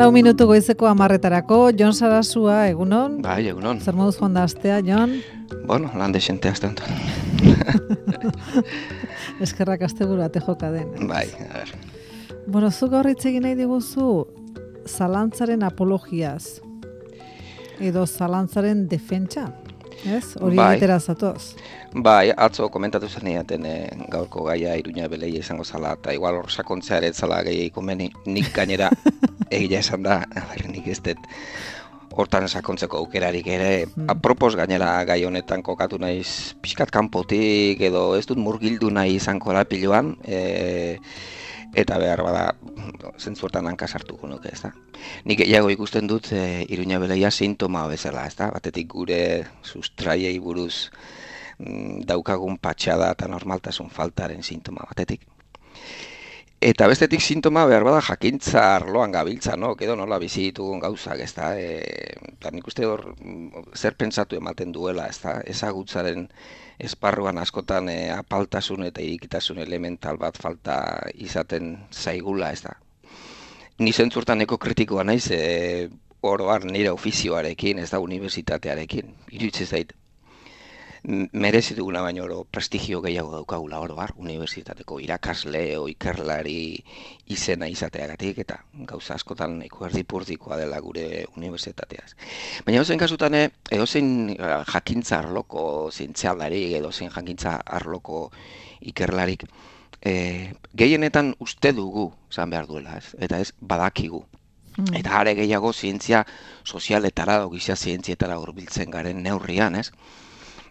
4:04 goizeko 10:00, Jon Sarasua, egunon? Bai, egunon. Zer moduz joan da astea, Jon? Bueno, lan desente azten. Eskerrak asteburu ate joka den. Bai, a ver. Bueno, zu gaur hitz egin nahi diguzu zalantzaren apologiaz. Edo zalantzaren defentsa, ez? Hori egitera zatoz. Bai, atzo komentatu zen eaten gaurko gaia Iruña Beleia izango zala, eta igual hor sakontzea ere zala gehiagik komeni, nik gainera egia esan da, nik ez dut hortan sakontzeko aukerarik ere, apropos gainera gai honetan kokatu naiz pixkat kanpotik edo ez dut murgildu nahi izango lapiloan, eta behar bada zentzu hortan hanka sartuko nuke, ez da. Nik gehiago ikusten dut Iruña Beleia sintoma bezala, ez da, batetik gure sustraiei buruz daukagun patxada eta normaltasun faltaren sintoma batetik. Eta bestetik sintoma behar bada jakintza arloan gabiltza, no? Edo nola bizi ditugun gauzak, ez da. Eta nik uste hor zer pentsatu ematen duela, ez da. Ezagutzaren esparruan askotan apaltasun eta irikitasun elemental bat falta izaten zaigula, ez da. Ni zentzurtan eko kritikoa naiz, oroar nire ofizioarekin, ez da, unibertsitatearekin. Iruditzen zait. Merezi duguna baino oro prestigio gehiago daukagula oroar, unibertsitateko irakasle o ikerlari izena izateagatik, eta gauza askotan nahiko erdipurdikoa dela gure unibertsitateaz. Baina edozein kasutan, edozein jakintza arloko zientzialari, edozein jakintza arloko ikerlarik, gehienetan uste dugu, zan behar duela, ez? Eta ez badakigu. Eta are gehiago zientzia sozialetara, gizia zientzietara hurbiltzen garen neurrian, ez?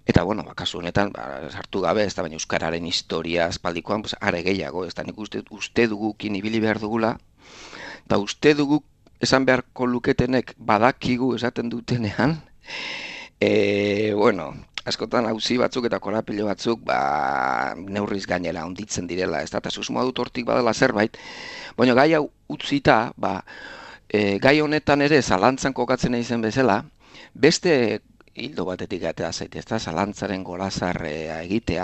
Eta, bueno, kasu honetan, sartu gabe, ez da, baina euskararen historia aspaldikoan, are gehiago, ez da, nik uste dugukin ibili behar dugula, eta uste dugu esan beharko luketenek badakigu esaten dutenean, bueno, askotan auzi batzuk eta korapilo batzuk, neurriz gainera onditzen direla, ez da, eta susmoa dut hortik badala zerbait, baina gai hau utzita, gai honetan ere zalantzan kokatzen izen bezala, beste hildo batetik atea zaite, ez da, zalantzaren gorazarrea egitea.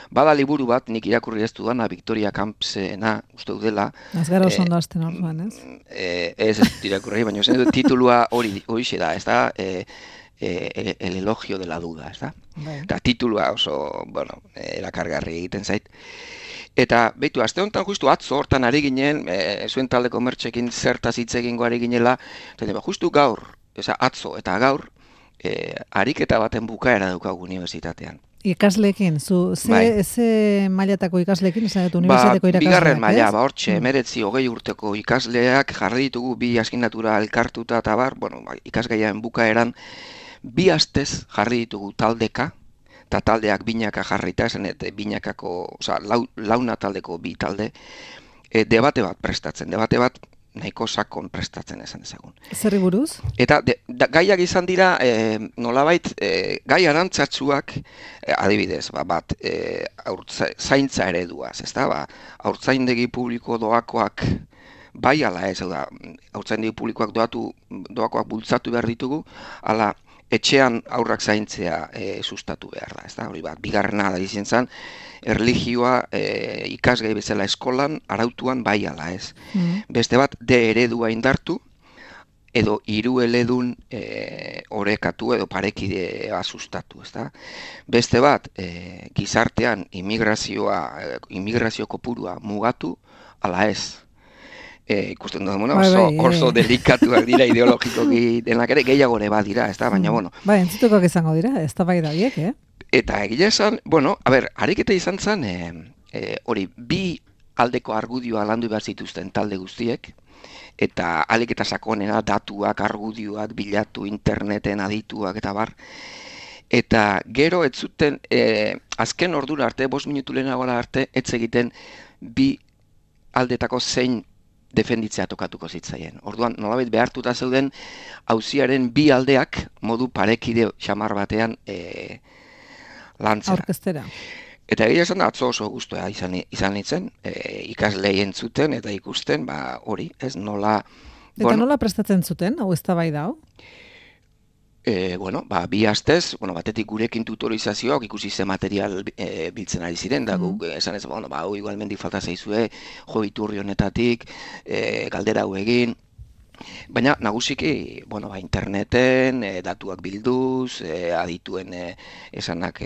Bada liburu bat, nik irakurri ez dudana, Victoria Campsena, uste dudela. Ez gara oso ondo azten orduan, ez? Ez irakurri, baina titulua horixe da, ez da, el elogio de la duda, ez da? Eta titulua oso, bueno, erakargarri egiten zait. Eta, behitu, aste honetan justu atzo hortan ari ginen, zuen taldeko mertxekin zertaz hitz egingo ari ginela, eta justu gaur, atzo eta gaur, ariketa baten bukaera daukagu unibertsitatean. Ikasleekin, ze mailatako ikasleekin, esan dut unibertsitateko irakasleak, bigarren maila, hortxe, 19-20 urteko ikasleak jarri ditugu bi asignatura elkartuta eta bueno, ikasgaiaren bukaeran, bi astez jarri ditugu taldeka, eta taldeak binaka jarrita, esan binakako, launa taldeko bi talde, debate bat prestatzen, debate bat nahiko sakon prestatzen esan ezagun. Zerri buruz? Eta gaiak izan dira, nolabait, gai arantzatsuak, adibidez, bat, zaintza ereduaz, ez da, haurtzaindegi publiko doakoak, bai ala ez, haurtzaindegi publikoak doakoak bultzatu behar ditugu, ala etxean aurrak zaintzea sustatu behar da, ez da, hori bat, bigarrena da izan zen, erlijioa ikasgai bezala eskolan, arautuan bai ala ez. Beste bat, de eredua indartu, edo hiru eledun orekatu edo parekidea sustatu, ez da. Beste bat, gizartean immigrazio kopurua mugatu, ala ez. Ikusten dut, oso delikatuak dira ideologikoki denak ere, gehiago ere badira, ez da, baina, bueno. Entzutukoak izango dira, ez da bai da biek, Eta egia esan, bueno, ariketa izan zen, hori, bi aldeko argudioa landu behar zituzten talde guztiek, eta alik eta sakonena datuak, argudioak, bilatu, interneten adituak eta bar. Eta gero ez zuten, azken ordura arte, 5 minutu lehenagoa arte, ez egiten bi aldetako zein defenditzea tokatuko zitzaien. Orduan, nolabait behartuta zeuden, auziaren bi aldeak modu parekide xamar batean lantzera. Aurkeztera. Eta egia esan da, atzo oso guztua izan nintzen, ikaslei entzuten eta ikusten, hori, ez nola... Eta nola prestatzen zuten, hau ez da bai dao? Bueno, bi astez, batetik gurekin tutorizazioak ikusi ze material biltzen ari ziren, da guk esan ez, hau igualmendik falta zaizue, jo iturri honetatik, galdera hau egin, Baina nagusiki, bueno, interneten datuak bilduz, adituen esanak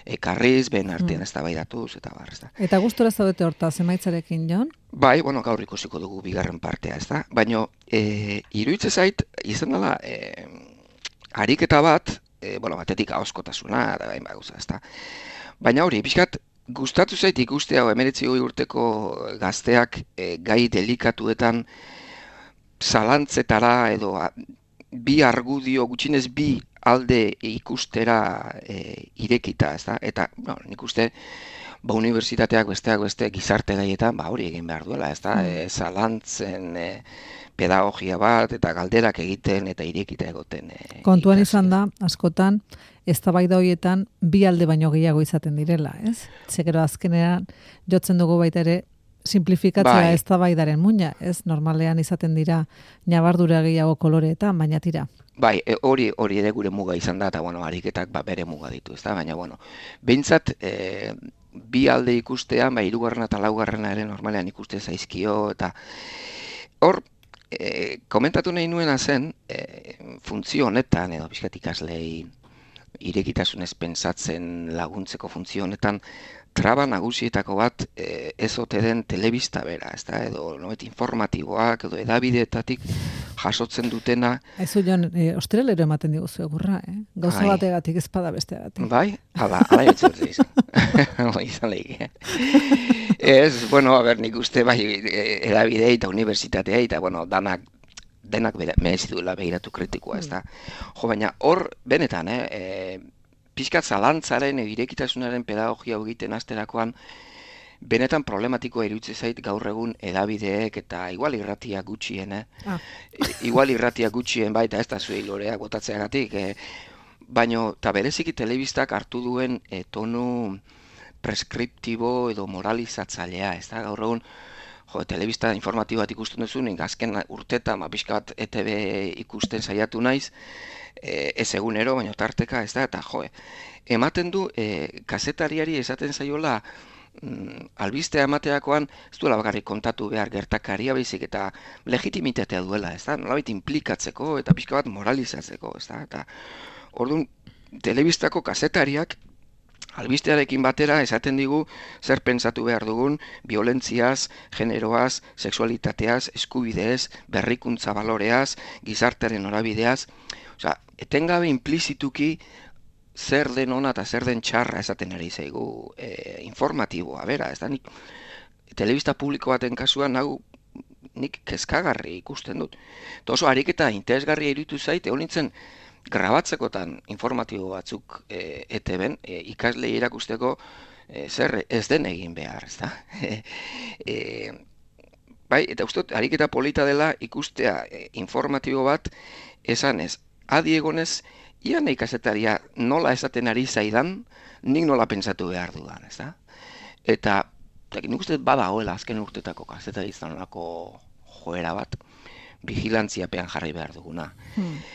ekarriz, ben artean eztabaidatuz eta bar, ezta. Eta gustora zaudete hortaz emaitzarekin, Jon? Bai, bueno, gaur ikusiko dugu bigarren partea, ezta. Baina iruditzen zait izan dela ariketa bat, bueno, batetik ahozkotasuna eta bain gauza, ezta. Baina hori, pixkat gustatu zait ikustea 19 urteko gazteak gai delikatuetan zalantzetara edo bi argudio, gutxinez bi alde ikustera irekita, ezta? Eta, bueno, nik uste, unibertsitateak besteak beste gizarte gaietan, hori egin behar duela, ezta? Zalantzen pedagogia bat eta galderak egiten eta irekita egoten. Kontuan izan da, askotan, eztabaida horietan bi alde baino gehiago izaten direla, ez? Zegero azkenean jotzen dugu baita ere simplifikatzea eztabaidaren muina, ez? Normalean izaten dira ñabardura gehiago koloreetan, baina tira. Bai, hori ere gure muga izan da, eta bueno, ariketak bere muga ditu, ezta? Baina bueno, behintzat bi alde ikustean, hirugarrena eta laugarrena ere normalean ikuste zaizkio, eta hor komentatu nahi nuena zen funtzio honetan, edo pixkat ikaslei irekitasunez pentsatzen laguntzeko funtzio honetan, traba nagusietako bat ez ote den telebista bera, ezta? Edo informatiboak edo edabideetatik jasotzen dutena. Aizu, Jon, ostrelero ematen diguzu egurra, Gauza bategatik ezpada besteagatik. Bai? Ala jotzen dut izan. Izan lehik. Ez, bueno, nik uste bai edabidei eta unibertsitateai eta, bueno, denak merezi duela begiratu kritikoa, ezta? Jo, baina hor, benetan, pixkat zalantzaren irekitasunaren pedagogia egiten asterakoan, benetan problematikoa iruditzen zait gaur egun edabideek eta igual irratia gutxien, igual irratia gutxien baita ez da zuei loreak botatzeagatik, baino, eta bereziki telebistak hartu duen tonu preskriptibo edo moralizatzailea, ez da, gaur egun, telebista informatibo bat ikusten duzun, azken urtetan, pixkat ETV ikusten saiatu naiz, ez egunero, baina tarteka, ez da, eta ematen du, kazetariari esaten zaiola, albistea emateakoan, ez duela bakarrik kontatu behar gertakaria baizik eta legitimitatea duela, ez da, nolabait implikatzeko eta pixka bat moralizatzeko, ez da, eta orduan, telebistako kazetariak, albistearekin batera esaten digu zer pentsatu behar dugun violentziaz, generoaz, sexualitateaz, eskubideez, berrikuntza baloreaz, gizartearen norabideaz. Osea, etengabe implizituki zer den ona eta zer den txarra esaten ari zaigu informatiboa, bera, ez da nik telebista publiko baten kasuan hau nik kezkagarri ikusten dut. Eta oso ariketa interesgarria iruditu zait, egon nintzen grabatzekotan informatibo batzuk ETB-en, ikaslei erakusteko zer ez den egin behar, ez da? Bai, eta uste, ariketa polita dela ikustea informatibo bat esanez, adi egonez, ia nahi kazetaria nola esaten ari zaidan, nik nola pentsatu behar dudan, ez da? Eta nik uste badagoela azken urtetako kazetari izanolako joera bat, vigilantziapean jarri behar duguna.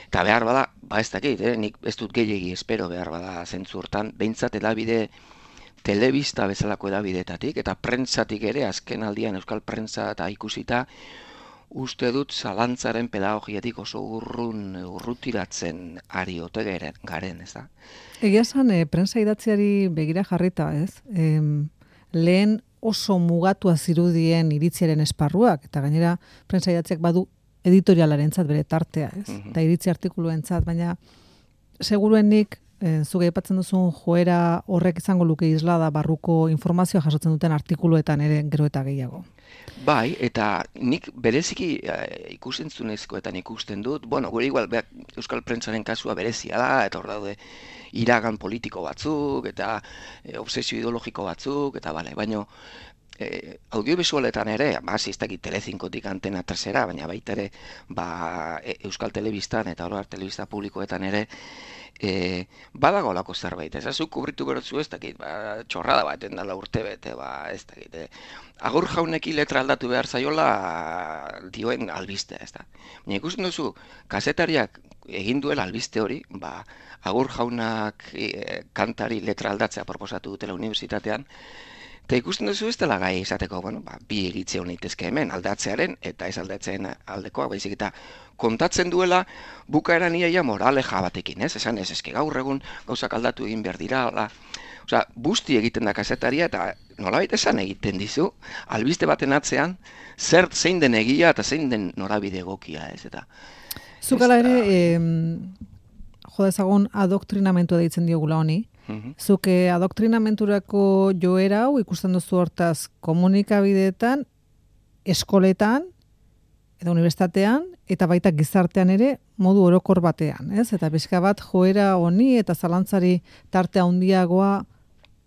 Eta behar bada, ez dakit, nik ez dut gehiegi espero behar bada zentzu hortan, behintzat edabide telebista bezalako edabideetatik, eta prentsatik ere, azken aldian euskal prentsa eta ikusita, uste dut zalantzaren pedagogiatik oso urrutiratzen ari ote garen, ez da? Egia esan, prentsa idatziari begira jarrita, ez? Lehen oso mugatua zirudien iritziaren esparruak, eta gainera prentsa idatziak badu editorialarentzat bere tartea, ez? Eta iritzi artikuluentzat, baina seguruenik zuge aipatzen duzun joera horrek izango luke islada barruko informazioa jasotzen duten artikuluetan ere gero eta gehiago. Bai, eta nik bereziki ikusentzunezkoetan ikusten dut, bueno, gure igual euskal prentsaren kasua berezia da, eta hor daude iragan politiko batzuk, eta obsesio ideologiko batzuk, eta bale, baina audiovisualetan ere, ez dakit Telecincotik Antena 3era, baina baita ere euskal telebistan eta oroar telebista publikoetan ere badago lako zerbait, ez zuk kubritu berotzu ez dakit, txorrada bat endala urte bete, ez dakit, agur jauneki letra aldatu behar zaiola dioen albiste, ez da. Baina ikusten duzu, kazetariak egin duela albiste hori, agur jaunak kantari letra aldatzea proposatu dutela unibertsitatean, Eta ikusten duzu ez dela gai izateko, bueno, bi iritzi hon litezke hemen, aldatzearen eta ez aldatzeen aldekoa, baizik eta kontatzen duela bukaeran iaia moraleja batekin, ez? Esan ez, eske gaur egun gauzak aldatu egin behar dira, osea, busti egiten da kazetaria eta nolabait esan egiten dizu, albiste baten atzean, zein den egia eta zein den norabide egokia, ez? Eta zukala ere, jo dezagun adoktrinamentua deitzen diogula honi, zuke adoktrinamenturako joera hau ikusten duzu hortaz komunikabideetan, eskoletan, eta unibertsitatean, eta baita gizartean ere modu orokor batean, ez? Eta pixka bat joera honi eta zalantzari tarte handiagoa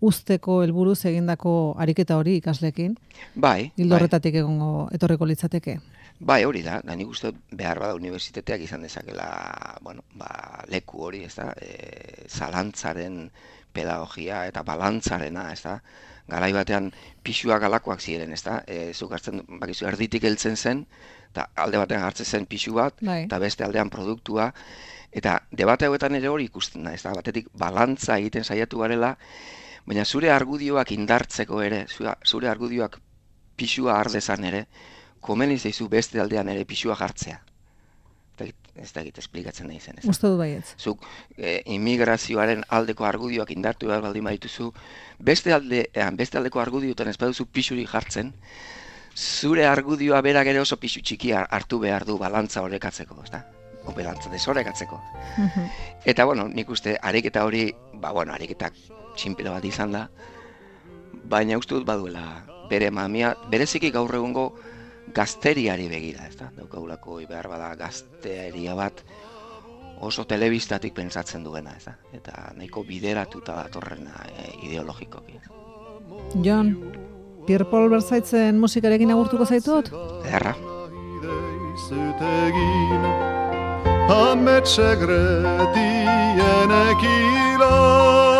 usteko helburuz egindako ariketa hori ikaslekin. Bai. Ildo horretatik etorriko litzateke. Bai, hori da nik uste behar bada unibertsitateak izan dezakela, bueno, leku hori, ez da, zalantzaren pedagogia eta balantzarena, ez da, garai batean pisuak alakoak ziren, ez da, zuk hartzen, bakizu, erditik heltzen zen, eta alde batean hartzen zen pisu bat, eta beste aldean produktua, eta debate hauetan ere hori ikusten da, ez da, batetik balantza egiten saiatu garela, baina zure argudioak indartzeko ere, zure argudioak pisua ardezan ere, komeni zaizu beste aldean ere pisua jartzea. Ez da egite esplikatzen nahi zen. Uste du baietz. Zuk immigrazioaren aldeko argudioak indartu behar baldin badituzu, beste aldeko argudioetan ez baduzu pisuri jartzen, zure argudioa berak ere oso pisu txikia hartu behar du balantza horrekatzeko, ez da? O balantza desorekatzeko. Eta, bueno, nik uste ariketa hori, ariketa txinpila bat izan da, baina uste dut baduela bere mamia, bereziki gaur egungo gazteriari begira, ez da? Daukagulako behar bada gazteria bat oso telebistatik pentsatzen duena, ez da? Eta nahiko bideratuta datorrena ideologikoki. Jon, Pierre Paul Berzaitzen musikarekin agurtuko zaitut? Erra. Ametsegretienek ila